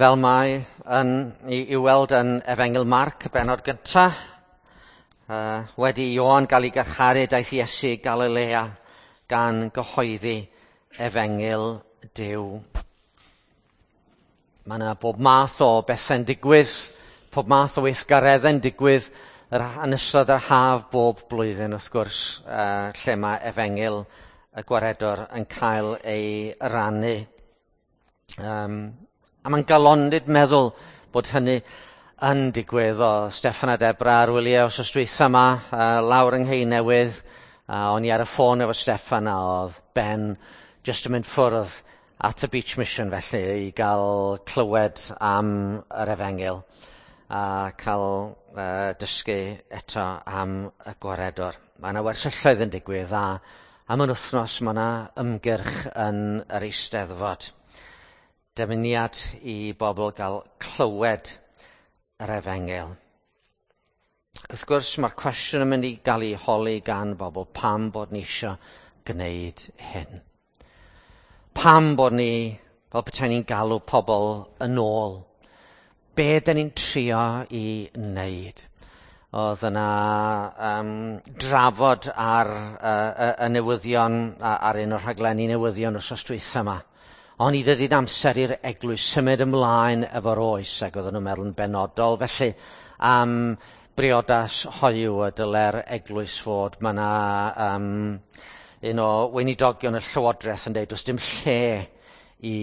Fel mae yn, i, i weld yn Efengyl Marc, y bennod gyntaf, wedi Ioan gael ei garcharu, daeth Iesu i Galilea gan gyhoeddi Efengyl Duw. Mae yna bob math o bethau'n digwydd, pob math o weithgareddau'n digwydd yn ystod yr haf bob blwyddyn, wrth gwrs, lle mae Efengyl y Gwaredwr yn cael ei rannu. A mae'n galondid meddwl bod hynny yn digwydd. O Steffan a Debra ar wyliau wythnos dwytha yma, lawr yng Nghei Newydd. O'n i ar y ffôn efo Steffan a oedd Ben jyst yn mynd ffwrdd at y Beach Mission felly i gael clywed am yr Efengyl a cael dysgu eto am y Gwaredwr. Mae yna wersylloedd yn digwydd a am yr wythnos mae yna ymgyrch yn yr Eisteddfod. Dymuniad i bobl gael clywed yr Efengyl. Ac wrth gwrs mae'r cwestiwn yn mynd i gael ei holi gan bobl pam bod ni eisiau gwneud hyn. Pam bod ni, fel petai ni'n galw pobl yn ôl? Be dyn ni'n trio i wneud? Oedd yna drafod ar y newyddion, ar un o'r rhaglenni newyddion wythnos dwytha yma. Ond i dydy'n amser i'r eglwys symud ymlaen efo'r oes, ac oedden nhw'n meddwl yn benodol felly am briodas hoyw y dyle'r eglwys fod. Mae yna un o weinidogion y Llywodraeth yn dweud does dim lle i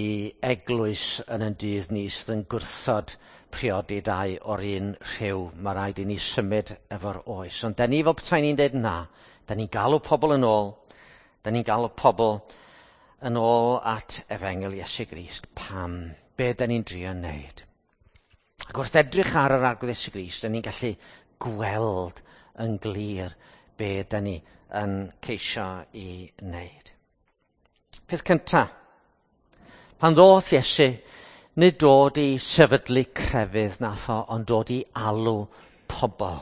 eglwys yn ein dydd ni sydd yn gwrthod priodi dau o'r un rhyw. Mae rhaid i ni symud efo'r oes. Ond da ni fel petai ni'n dweud na. Da ni'n galw pobl yn ôl. Da ni'n galw pobl yn ôl at Efengyl Iesu Grist. Pam? Be da ni'n drio wneud? Ac wrth edrych ar yr Arglwydd Iesu Grist, da ni'n gallu gweld yn glir be da ni yn ceisio i wneud. Peth cyntaf, pan ddoth Iesu, nid dod i sefydlu crefydd nath o, ond dod i alw pobl.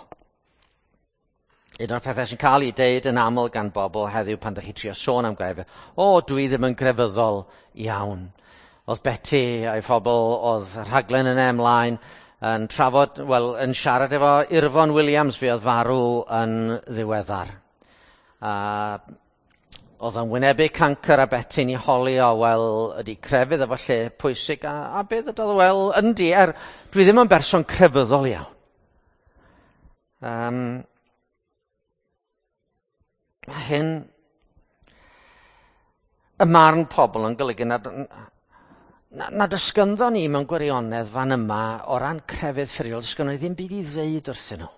Un o'r pethau sy'n cael ei deud yn aml gan bobl heddiw pan ydych chi trio sôn am grefydd, o, dwi ddim yn grefyddol iawn. Oedd Betty a'i phobl, oedd rhaglen yna ymlaen, yn trafod, wel, yn siarad efo Irfon Williams, fi oedd farw yn ddiweddar. A oedd o'n wynebu cancr a Betty'n ei holi o, wel, ydy crefydd efo lle pwysig, a beth ydodd, wel, yndi, dwi ddim yn berson crefyddol iawn. Mae hyn, y marn pobl yn golygu nad oes ganddo ni mewn gwirionedd fan yma o ran crefydd ffurfiol, does ganddo ni ddim byd i ddeud wrthyn nhw.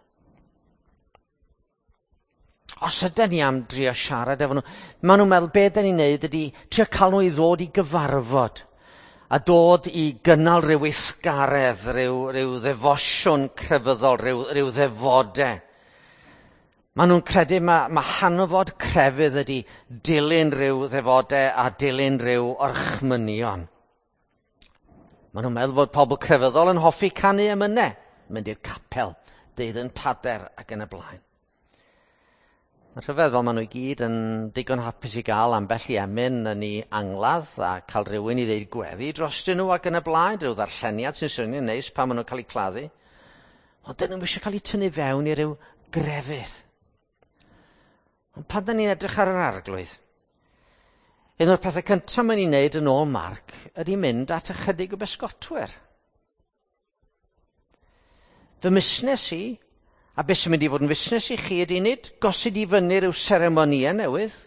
Os ydyn ni am drio siarad efo nhw, maen nhw'n meddwl be dyn ni'n neud ydy trio cael nhw i ddod i gyfarfod a dod i gynnal rhyw weithgaredd, rhyw ddefosiwn crefyddol, rhyw ddefodau. Maen nhw'n credu mae hanfod crefydd ydy dilyn rhyw ddefodau a dilyn rhyw orchmynion. Maen nhw'n meddwl bod pobl crefyddol yn hoffi canu emynau, mynd i'r capel, deud yn pader ac yn y blaen. Mae'n rhyfedd fel maen nhw i gyd yn digon hapus i gael ambell i emyn yn ei angladd a cael rhywun i ddeud gweddi drostyn nhw ac yn y blaen, rhyw ddarlleniad sy'n swnio'n neis pan maen nhw'n cael eu claddu. Ond dyn nhw'n eisiau cael eu tynnu fewn i ryw grefydd. Ond pan da ni'n edrych ar yr Arglwydd, un o'r pethau cyntaf mae'n ei wneud yn ôl Marc ydy mynd at ychydig o bysgotwyr. Fy musnes i, a beth sy'n mynd i fod yn fusnes i chi ydy nid gosod i fyny rhyw seremonïau newydd.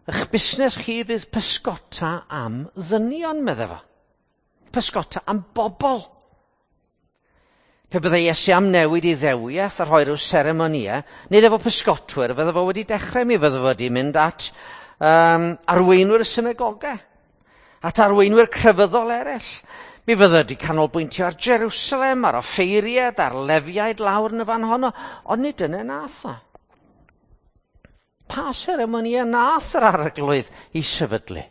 Eich busnes chi fydd pysgota am ddynion, medde fo. Pysgota am bobl. Pe byddai Iesu am newid i ddewiaeth a rhoi rhyw seremonïau, nid efo pysgotwyr, fydde fo wedi dechrau, mi fydde fo wedi mynd at arweinwyr y synagogau, at arweinwyr crefyddol eraill. Mi fydde wedi canolbwyntio ar Jerusalem, ar offeiriaid, ar lefiaid lawr yn y fan honno, ond nid dyna nath o. Pa seremonïau nath yr Arglwydd i sefydlu?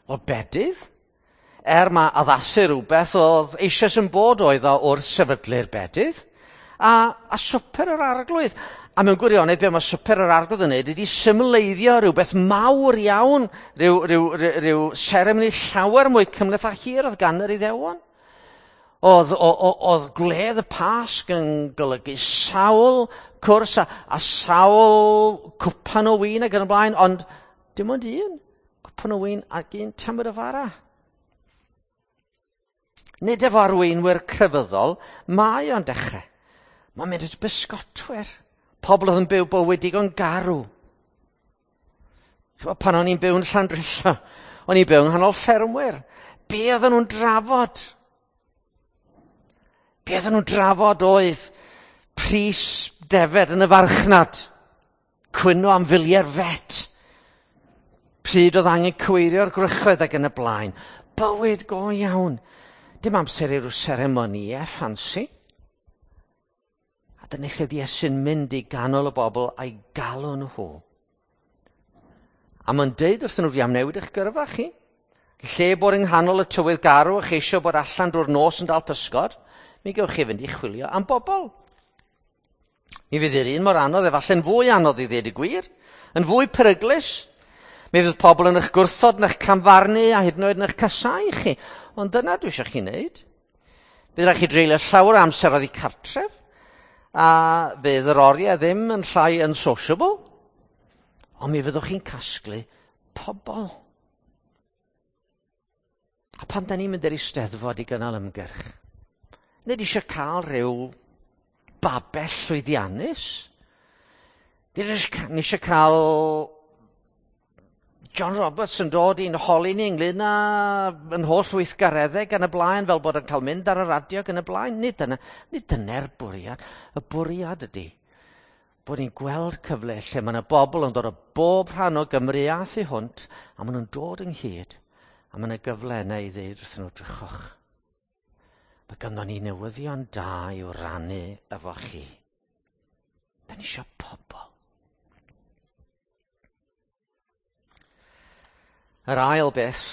O bedydd? Mae addasu rhywbeth oedd eisoes yn bod oedd o wrth sefydlu'r bedydd, a swper yr Arglwydd. A mewn gwirionedd, be mae swper yr Arglwydd yn neud ydy symleiddio rhywbeth mawr iawn, rhyw seremoni llawer mwy cymhleth a hir oedd gan yr Iddewon. Oedd gwledd y Pasg yn golygu sawl cwrs a sawl cwpan o win ac yn y blaen, ond dim ond un cwpan o win ac un tamed o fara. Nid efo arweinwyr crefyddol, mae o'n dechrau. Mae'n mynd at bysgotwyr. Pobl oedd yn byw bywyd digon garw. Pan o'n i'n byw yn Llandrillo, o'n i'n byw yng nghanol ffermwyr. Be oedden nhw'n drafod? Be oedden nhw'n drafod oedd pris defed yn y farchnad, cwyno am filiau'r vet, pryd oedd angen cywirio'r gwrychoedd ac yn y blaen. Bywyd go iawn. Dim amser i ryw seremonïau ffansi. A dyna lle oedd Iesu'n mynd i ganol y bobl a'i galw nhw. A mae'n deud wrthyn nhw, fi am newid eich gyrfa chi. Lle bod yng nghanol y tywydd garw a cheisio bod allan drwy'r nos yn dal pysgod, mi gewch chi fynd i chwilio am bobl. Mi fydd yr un mor anodd, efallai'n fwy anodd i ddweud y gwir, yn fwy peryglus. Mi fydd pobl yn eich gwrthod, yn eich camfarnu a hyd yn oed yn eich casau chi. Ond dyna dwi eisiau chi wneud. Bydd rhaid chi dreulio llawer o amser oddi cartref, a bydd yr oriau ddim yn llai yn sociable, ond mi fyddwch chi'n casglu pobl. A pan da ni'n mynd i'r Eisteddfod i gynnal ymgyrch, nid eisiau cael rhyw babell llwyddiannus. Nid eisiau cael John Roberts yn dod i'n holi ni ynglyn â yn holl weithgareddau gan y blaen, fel bod yn cael mynd ar y radio gan y blaen. Nid dyna'r bwriad. Y bwriad ydy bod ni'n gweld cyfle lle mae yna bobl yn dod o bob rhan o Gymru a thu hwnt, a maen nhw'n dod ynghyd, a mae yna gyfle yna i ddeud wrthyn nhw, drychwch. Mae ganddo ni newyddion da i'w rannu efo chi. Da ni eisiau pobl. Yr ail beth,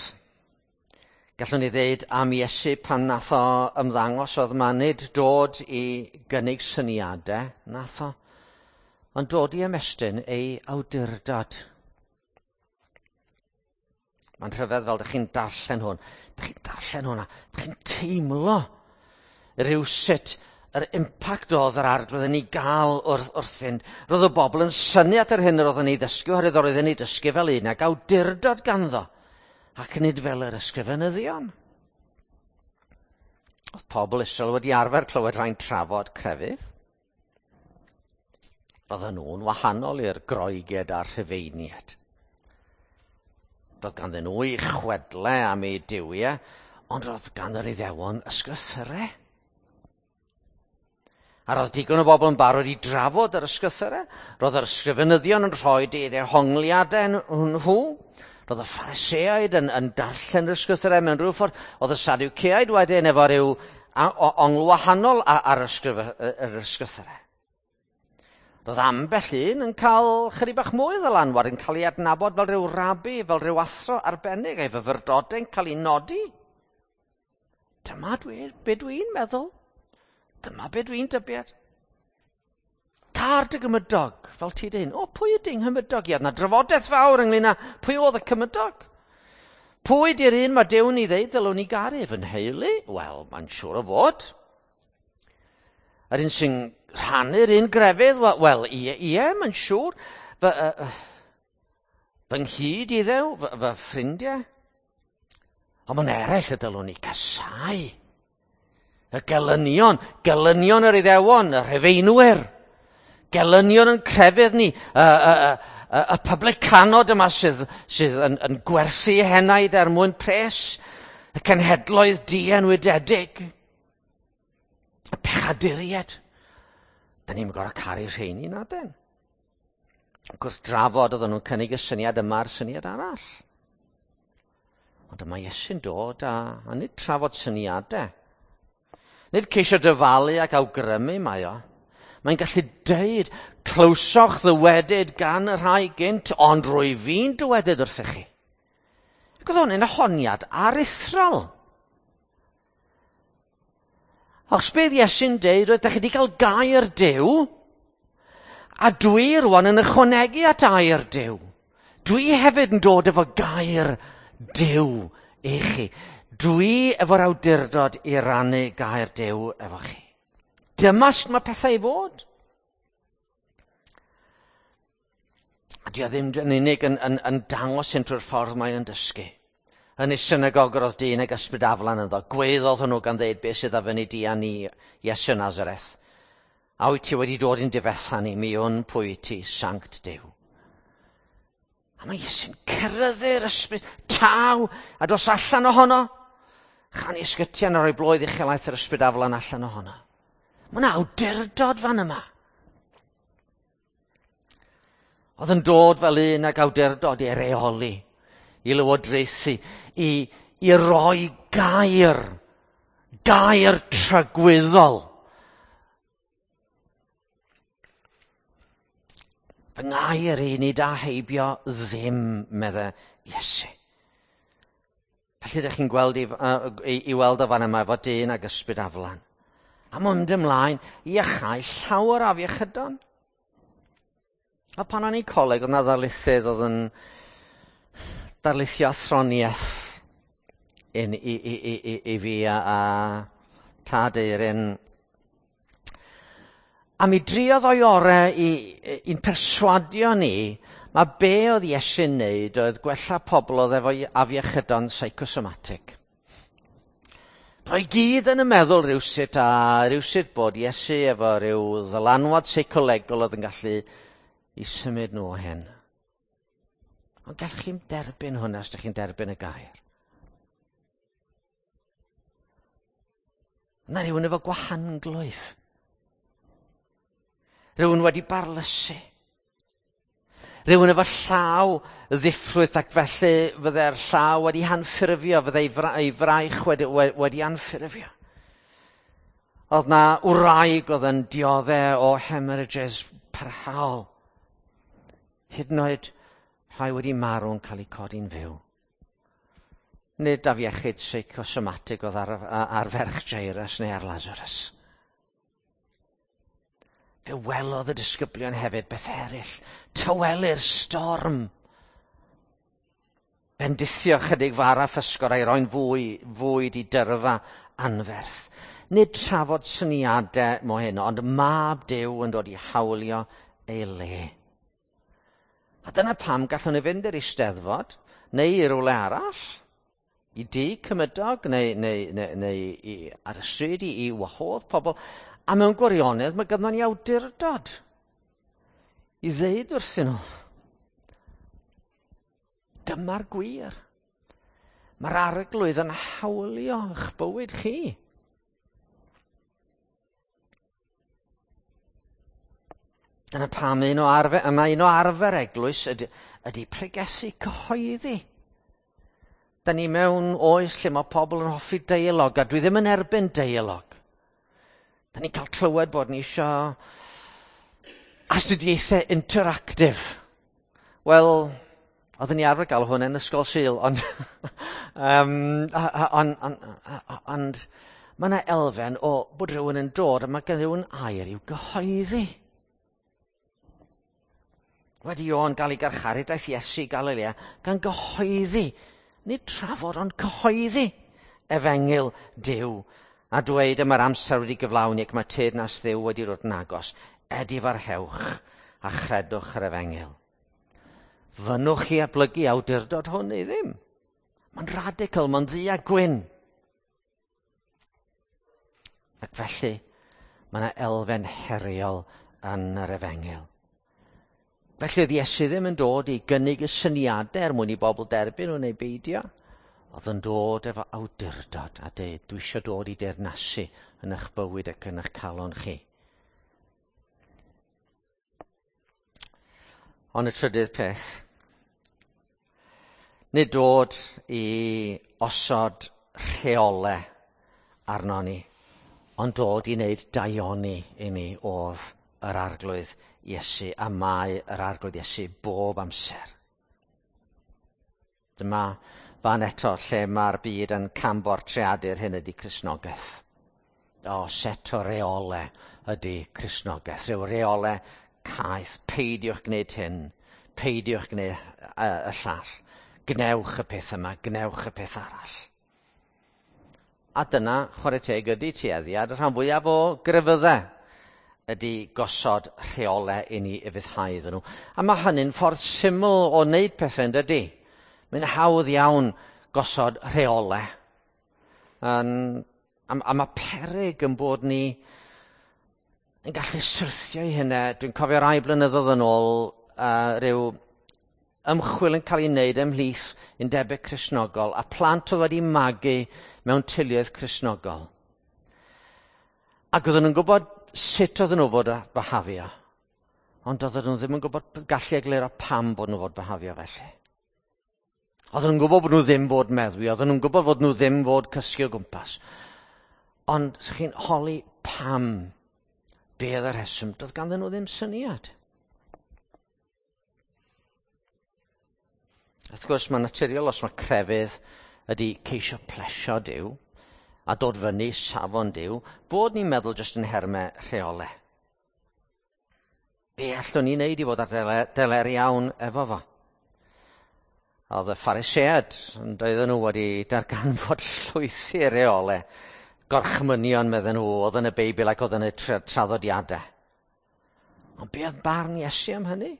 gallwn ni ddeud am Iesu pan nath o ymddangos oedd ma nid dod i gynnig syniadau, nath o, ond dod i ymestyn ei awdurdod. Mae'n rhyfedd fel dych chi'n darllen hwn. Dych chi'n darllen hwnna. Dych chi'n teimlo rhywsut yr impact oedd yr arglwydd yn ei gael wrth fynd. Roedd y bobl yn synnu at yr hyn yr oedd yn ei ddysgu, oherwydd oedd yn ei dysgu fel un ag awdurdod ganddo, ac nid fel yr ysgrifenyddion. Oedd pobl Israel wedi arfer clywed rhai'n trafod crefydd. Roedden nhw'n wahanol i'r Groegiaid a'r Rhufeiniaid. Roedd ganddyn nhw eu chwedle am eu duwiau, ond roedd gan yr Iddewon ysgrythurau. A roedd digon o bobl yn barod i drafod yr ysgrythurau. Roedd yr ysgrifenyddion yn rhoi eu dehongliadau nhw. Roedd y Phariseaid yn darllen yr ysgrythurau mewn rhyw ffordd. Oedd y Sadwceaid wedyn efo rhyw ongl wahanol ar yr ysgrythurau. Roedd ambell un yn cael chydig bach mwy o ddylanwad, yn cael ei adnabod fel rhyw rabi, fel rhyw athro arbennig, a'i fyfyrdodau'n cael ei nodi. Dyma be dwi'n meddwl. Dyma be dwi'n dybiad. Car dy gymydog, fel ti dyn. O, pwy ydy nghymydog i? Oedd 'na drafodaeth fawr ynglyn â pwy oedd y cymydog. Pwy di'r un mae Duw'n ei ddeud ddylwn ni garu? Fy nheulu? Wel, mae'n siŵr o fod. Yr un sy'n rhannu'r un grefydd? Wel, ie, mae'n siŵr. Fy nghyd iddew, fy ffrindiau. Ond mae'n eraill y dylwn ni casau. Y gelynion yr Iddewon, y Rhufeinwyr. Gelynion yn crefydd ni, y publicanod yma sydd yn gwerthu henaid er mwyn pres, y cenhedloedd dienwydedig, y pechaduriaid. Da ni'n gorfod caru rheini na den. Gwrth drafod oedden nhw'n cynnig y syniad yma a'r syniad arall. Ond yma Iesu'n dod a nid trafod syniadau. Nid ceisio dyfalu ac awgrymu mae o. Mae'n gallu deud, clywsoch ddywedyd gan y rhai gynt, ond rwy fi'n dywedyd wrthych chi. Ac oedd hwn yn honiad aruthrol. Os bydd Iesu'n deud, roedd chi wedi cael gair Duw, a dwi rwan yn ychwanegu at air Duw. Dwi hefyd yn dod efo gair Duw i chi. Dwi efo'r awdurdod i rannu gair Duw efo chi. Dyma sut mae pethau i fod. A di o ddim yn unig yn dangos hyn trwy'r ffordd mae o'n dysgu. Yn ei synagog yr oedd dyn ag ysbryd aflan ynddo. Gweiddodd hwnnw gan ddeud beth sydd a fyny di a ni, Iesu Nazareth. A wyt ti wedi dod i'n difetha ni, mi wn pwy ti, Sanct Duw. A mae Iesu'n ceryddu'r ysbryd, taw, a dos allan ohono. Chan i ysgytian a rhoi bloedd uchelaeth yr ysbryd aflan allan ohono. Mae yna awdurdod fan yma. Oedd yn dod fel un ag awdurdod i reoli, i lywodraethu, i roi gair, gair tragwyddol. Fy ngair i nid a heibio ddim, medde Iesu. Felly ydych chi'n gweld i weld o fan yma efo dyn ag ysbryd aflan. A mynd ymlaen i iachau llawer afiechydon. A pan o'n i'n coleg, oedd yna ddarlithydd oedd yn darlithio athroniaeth i fi a tad Eirin. A mi driodd o'i orau i'n perswadio ni, mae be oedd Iesu'n neud oedd gwella pobl oedd efo afiechydon psychosomatic. Roedd gyd yn y meddwl rhywsut a rhywsut bod Iesu efo rhyw ddylanwad seicolegol oedd yn gallu i symud nhw o hyn. Ond gallwch chi'n derbyn hwnna os ydych chi'n derbyn y gair. Yna rhywun efo gwahanglwyf. Rhywun wedi barlysu. Rhywun efo llaw ddiffrwyth ac felly fydde'r llaw wedi anffurfio, fydde ei fraich wedi anffurfio. Oedd na wraig oedd yn dioddef o hemorrhages parhaol. Hyd yn oed rhai wedi marw yn cael eu codi'n fyw. Nid afiechyd seicosomatig oedd ar ferch Jairus neu ar Lazarus. Fe welodd y disgyblion hefyd beth eraill. Tawelu'r storm. Bendithio chydig fara physgod a'i roi'n fwyd i dyrfa anferth. Nid trafod syniadau mo hyn, ond mab Duw yn dod i hawlio ei le. A dyna pam gallwn ni fynd i'r Eisteddfod, neu i rywle arall, i dŷ cymydog, neu ar y stryd i wahodd pobl. A mewn gwirionedd mae ganddo ni awdurdod i ddeud wrthyn nhw, dyma'r gwir. Mae'r arglwydd yn hawlio eich bywyd chi. Dyna pam mae un o arfer eglwys ydy pregethu cyhoeddi. Da ni mewn oes lle mae pobl yn hoffi deialog, a dwi ddim yn erbyn deialog. Da ni'n cael clywed bod ni isio astudiaethau interactive. Wel, oedden ni arfer gael hwn yn ysgol Sul, ond ond mae yna elfen o bod rhywun yn dod a mae gen rhywun air i'w gyhoeddi. Wedi Ioan gael ei garcharu, daeth Iesu i Galilea gan gyhoeddi, nid trafod ond cyhoeddi efengyl Duw. A dweud yma'r amser wedi gyflawni ac mae teyrnas Dduw wedi dod yn agos. Edifarhewch a chredwch yr efengyl. Fynnwch chi ablygu awdurdod hwn neu ddim. Mae'n radical, mae'n ddu a gwyn. Ac felly, mae yna elfen heriol yn yr efengyl. Felly oedd Iesu ddim yn dod i gynnig y syniadau er mwyn i bobl derbyn nhw neu beidio. Oedd yn dod efo awdurdod a dweud, dwi eisiau dod i deyrnasu yn eich bywyd ac yn eich calon chi. Ond y trydydd peth, nid dod i osod rheolau arno ni, ond dod i wneud daioni i ni oedd yr arglwydd Iesu, a mae yr arglwydd Iesu bob amser. Dyma fan eto lle mae'r byd yn cambortreadu'r hyn ydy Cristnogaeth. O, set o reolau ydy Cristnogaeth. Rhyw reolau caeth, peidiwch gwneud hyn, peidiwch gwneud y llall. Gnewch y peth yma, gnewch y peth arall. A dyna, chwarae teg, ydy tueddiad y rhan fwyaf o grefyddau ydy gosod rheolau i ni ufuddhau iddyn nhw. A mae hynny'n ffordd syml o wneud pethau, yn dydy? Mae'n hawdd iawn gosod rheolau. A mae peryg yn bod ni yn gallu syrthio i hynna. Dwi'n cofio rai blynyddoedd yn ôl rhyw ymchwil yn cael ei wneud ymhlith undebau Cristnogol a plant oedd wedi magu mewn teuluoedd Cristnogol. Ac oedden nhw'n gwybod sut oedden nhw fod byhafio, ond oedden nhw ddim yn gwybod gallu egluro pam bod nhw fod byhafio felly. Oedden nhw'n gwybod bod nhw ddim fod meddwi, oedden nhw'n gwybod fod nhw ddim fod cysgu o gwmpas. Ond chi'n holi pam, be oedd y rheswm, doedd ganddyn nhw ddim syniad. Wrth gwrs, mae'n naturiol os mae crefydd ydy ceisio plesio Duw a dod fyny safon Duw, bod ni'n meddwl jyst yn nhermau rheolau. Be allwn ni wneud i fod ar deler iawn efo fo? Oedd y Phariseaid, doedden nhw wedi darganfod llwythi rheolau, gorchmynion medden nhw, oedd yn y Beibl ac oedd yn y traddodiadau. Ond be oedd barn Iesu am hynny?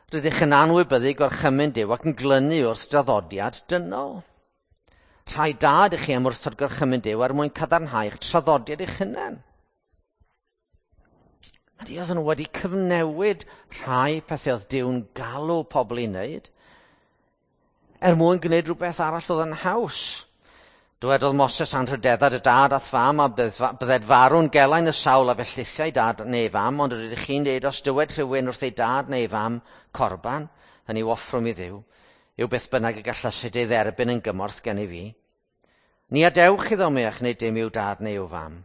Rydych yn anwybyddu gorchymyn Duw ac yn glynu wrth draddodiad dynol. Rhai da ydych chi am wrthod gorchymyn Duw er mwyn cadarnhau eich traddodiad eich hunain. A di oedden nhw wedi cyfnewid rhai pethau oedd Duw'n galw pobl i wneud er mwyn gwneud rhywbeth arall oedd yn haws. Dywedodd Moses anrhydedda dy dad a'th fam a bydded farw'n gelain y sawl a fellythiau dad neu fam, ond rydych chi'n dweud os dywed rhywun wrth ei dad neu fam corban, hynny yw offrwm i Dduw, yw beth bynnag y gallasid ei dderbyn yn gymorth gen i fi. Ni adewch iddo mwyach neu dim i'w dad neu i'w fam.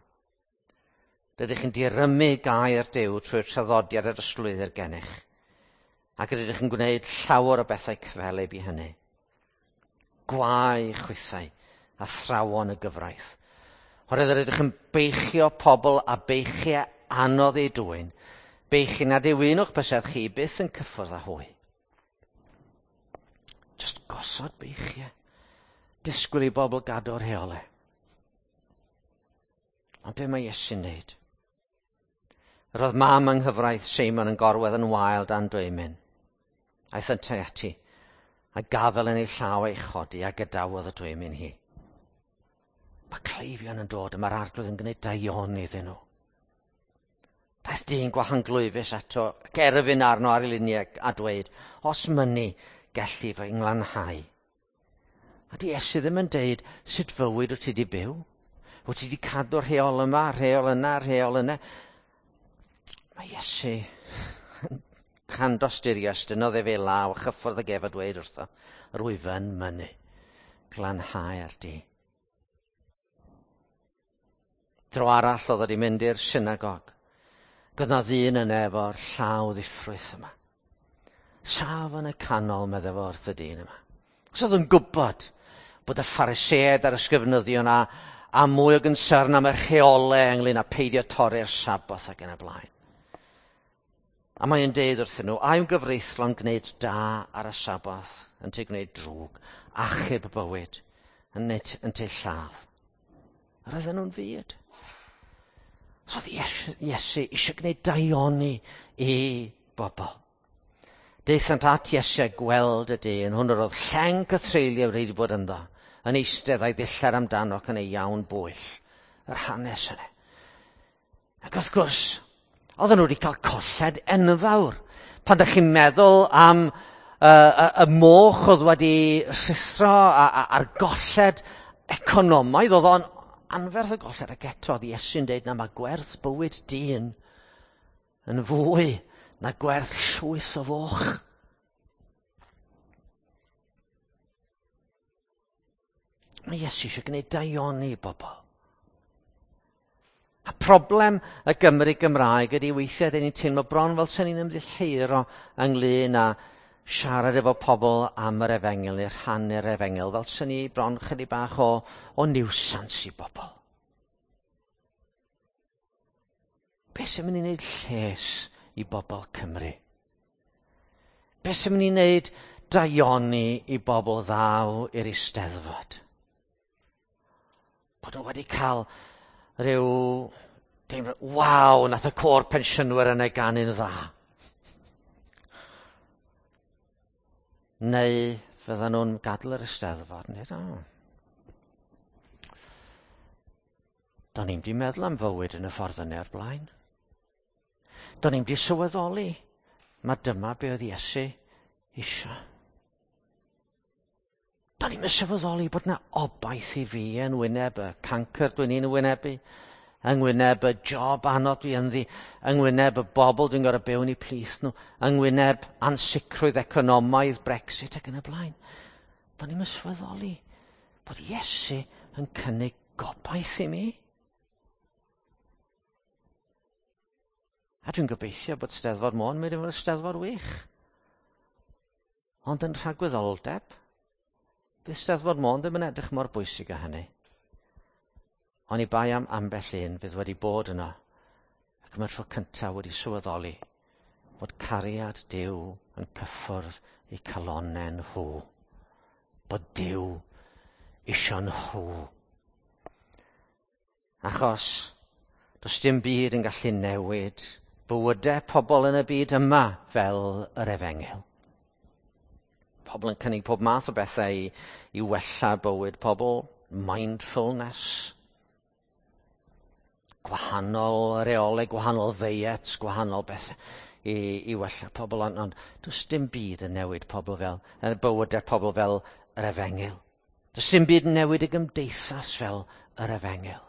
Rydych chi'n dirymu gair Duw trwy'r traddodiad yr ystlwyddr gennych, ac rydych yn gwneud llawer o bethau cyffelyb i hynny. Gwae chwithau athrawon y gyfraith. Oherwydd rydych yn beichio pobl a beichiau anodd eu dwyn, beichiau nad yw un o'ch bysedd chi byth yn cyffwrdd â hwy. Just gosod beichiau. Disgwyl i bobl gadw'r rheolau. Ond be mae Iesu'n wneud? Yr oedd mam yng nghyfraith Seimon yn gorwedd yn wael dan dwymyn. Aeth yntau ati, a gafel yn ei llaw ei chodi a gadawodd y dwymyn hi. Mae cleifion yn dod a mae'r arglwydd yn gwneud daioni iddyn nhw. Daeth dyn gwahanglwyfus ato, ac erfyn arno ar ei luniau a dweud, os mynnu, gelli fy nglanhau. A di Iesu ddim yn deud, sut fywyd wyt ti wedi byw? Wyt ti wedi cadw'r rheol yma, rheol yna, rheol yna? Mae Iesu yn candosturio, estynnodd ef ei law a chyffwrdd ag ef a dweud wrtho, rwyf yn mynnu, glanhau ar di. Dro arall oedd wedi mynd i'r synagog. Ac oedd 'na ddyn yna efo'r llaw ddiffrwyth yma. Saf yn y canol, meddai fo wrth y dyn yma. Os oedd yn gwybod bod y Phariseaid a'r ysgrifenyddion a mwy o gynsyrn am y rheolau ynglyn â peidio torri'r Saboth ac yn y blaen. A mae'n deud wrthyn nhw, a yw'n gyfreithlon gwneud da ar y Saboth, yn te gwneud drwg, achub bywyd, yn te lladd. Yr oedden nhw'n fyd. So oedd Iesu eisiau gwneud daioni i bobl. Daethant at Iesu a gweld y dyn, hwn yr oedd lleng cythreuliau wedi bod ynddo, yn eistedd a'i ddillad amdano ac yn ei iawn bwyll. Yr hanes yna. Ac wrth gwrs, oedden nhw wedi cael colled enfawr. Pan ydych chi'n meddwl am y moch oedd wedi rhuthro a'r golled economaidd, oedd o'n anferth y golled, ac eto oedd Iesu'n deud na mae gwerth bywyd dyn yn fwy na gwerth llwyth o foch. Mae Iesu eisiau gwneud daioni i bobl. A problem y Gymru Gymraeg ydy weithiau dyn ni'n teimlo bron fel sy'n ni'n ymddiheuro ynglyn â siarad efo pobl am yr efengyl neu rhannu'r efengyl, fel sy'n ni bron chydig bach o niwsans i bobl. Be sy'n mynd i wneud lles i bobl Cymru? Be sy'n mynd i wneud daioni i bobl ddaw i'r Eisteddfod? Bod nhw wedi cael rhyw deimlo, waw, nath y côr pensiynwyr yna ganu'n dda. Neu fyddan nhw'n gadael yr Eisteddfod, neu o. Do'n i'm 'di meddwl am fywyd yn y ffordd yna o'r blaen. Do'n i'm 'di sylweddoli ma dyma be oedd Iesu isio. Do'n i'm yn sylweddoli bod 'na obaith i fi yn wyneb y cancr dwi'n i'n wynebu, yng ngwyneb y job anodd dwi ynddi, yng ngwyneb y bobl dwi'n gorfod byw yn eu plith nhw, yng ngwyneb ansicrwydd economaidd, Brexit ac yn y blaen. Do'n i'm yn sylweddoli bod Iesu yn cynnig gobaith i mi. A dwi'n gobeithio bod Steddfod Môn mynd i fod yn Steddfod wych. Ond yn rhagwyddoldeb, bydd Steddfod Môn ddim yn edrych mor bwysig â hynny. Oni bai am ambell un fydd wedi bod yno, ac am y tro cyntaf wedi sylweddoli bod cariad Duw yn cyffwrdd eu calonnau nhw. Bod Duw isio nhw. Achos does dim byd yn gallu newid bywydau pobl yn y byd yma fel yr efengyl. Pobl yn cynnig pob math o bethau i wella bywyd pobl, mindfulness, gwahanol reolau, gwahanol ddeiets, gwahanol bethau i wella pobl, ond does dim byd yn newid pobl fel, yn bywydau pobl fel yr efengyl. Does dim byd yn newid y gymdeithas fel yr efengyl.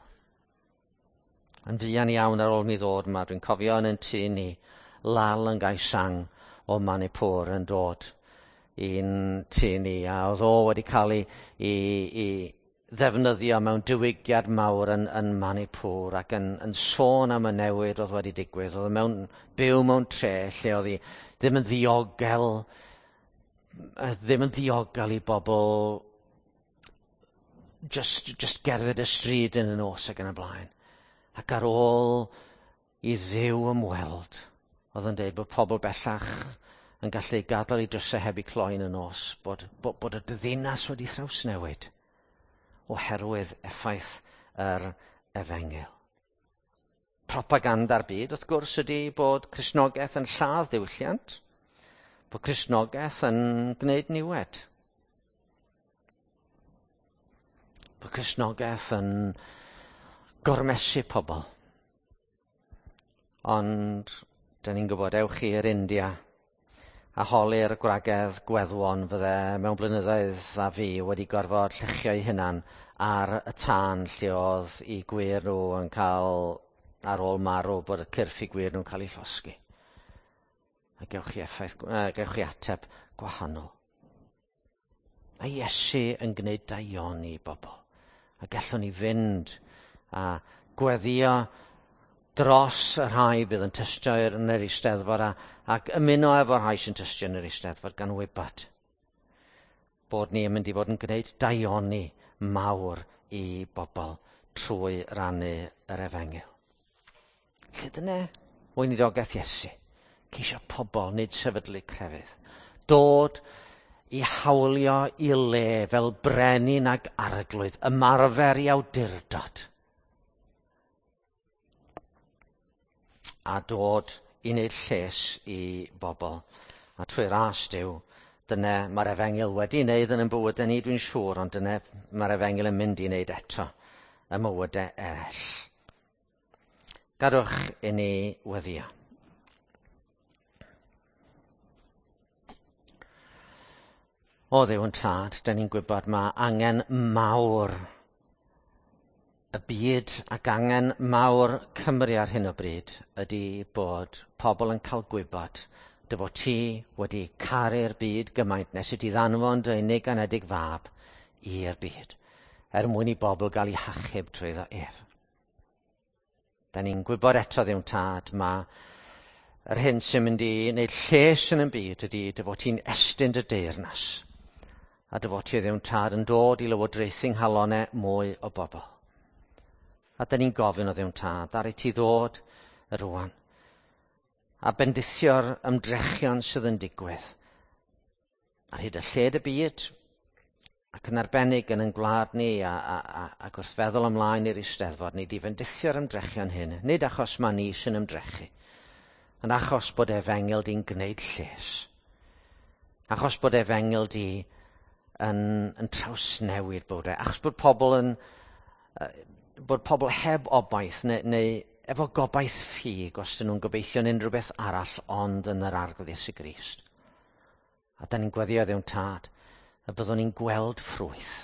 Yn fuan iawn ar ôl mi ddod yma, dwi'n cofio yn tŷ ni, Lal yn Gai Sang o Manipur yn dod i'n tŷ ni, a oedd o wedi cael ei ddefnyddio mewn diwygiad mawr yn Manipur ac yn sôn am y newid oedd wedi digwydd. Oedd mewn byw mewn tre lle oedd hi ddim yn ddiogel, ddim yn ddiogel i bobl just gerdded y stryd yn y nos ac yn y blaen. Ac ar ôl i Dduw ymweld, oedd yn dweud bod pobl bellach yn gallu gadael eu drysau heb eu cloi yn y nos, bod y ddinas wedi thrawsnewid oherwydd effaith yr efengyl. Propaganda'r byd, wrth gwrs, ydy bod Cristnogaeth yn lladd diwylliant, bod Cristnogaeth yn gwneud niwed. Bod Cristnogaeth yn gormesu pobl. Ond, dyn ni'n gwybod, ewch i'r India a holi'r gwragedd gweddwon fydde mewn blynyddoedd a fi wedi gorfod lluchio eu hunan ar y tân lle oedd eu gwŷr nhw yn cael, ar ôl marw, bod y cyrff eu gwŷr nhw'n cael eu llosgi. A gewch chi effaith, gewch chi ateb gwahanol. Mae Iesu yn gwneud daioni i bobl. A gallwn ni fynd a gweddio dros y rhai bydd yn tystio yn yr Eisteddfod ac ymuno efo'r rhai sy'n tystio yn yr Eisteddfod gan wybod bod ni yn mynd i fod yn gwneud daioni mawr i bobl trwy rannu yr efengyl. Lle dyna weinidogaeth Iesu, ceisio pobl, nid sefydlu crefydd. Dod i hawlio i le fel brenin ag arglwydd, ymarfer i awdurdod. A dod i wneud lles i bobl. A trwy ras Duw, dyna mae'r efengyl wedi wneud yn ein bywydau ni, dwi'n siŵr, ond dyna mae'r efengyl yn mynd i wneud eto ym mywydau eraill. Gadwch i ni weddïo. O Dduw yn Tad, dyn ni'n gwybod mae angen mawr y byd ac angen mawr Cymru ar hyn o bryd ydy bod pobl yn cael gwybod dy fod ti wedi caru'r byd gymaint nes i ti ddanfon dy unig anedig fab i'r byd, er mwyn i bobl gael eu hachub trwyddo ef. Da ni'n gwybod eto Dduw'n Tad, mae yr hyn sy'n mynd i wneud lles yn y byd ydy dy fod ti'n estyn dy deyrnas, a dy fod ti Dduw'n Tad yn dod i lywodraethu nghalonnau mwy o bobl. A da ni'n gofyn o Dduw'n Tad, ar i ti ddod rŵan, a bendithio'r ymdrechion sydd yn digwydd, ar hyd y lled y byd, Ac yn arbennig yn ein gwlad ni a, a, a, ac wrth feddwl ymlaen i'r Eisteddfod, ni di fendithio'r ymdrechion hyn, nid achos mae ni sy'n ymdrechu, ond achos bod efengyl di'n gwneud lles. Achos bod efengyl di yn, yn trawsnewid bywydau. Achos bod pobl yn, bod pobl heb obaith neu, neu efo gobaith ffug os dyn nhw'n gobeithio yn unrhyw beth arall ond yn yr Arglwydd Iesu Grist. A da ni'n gweddio Dduw'n Tad y byddwn ni'n gweld ffrwyth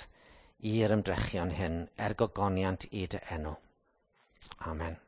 i'r ymdrechion hyn er gogoniant i dy enw. Amen.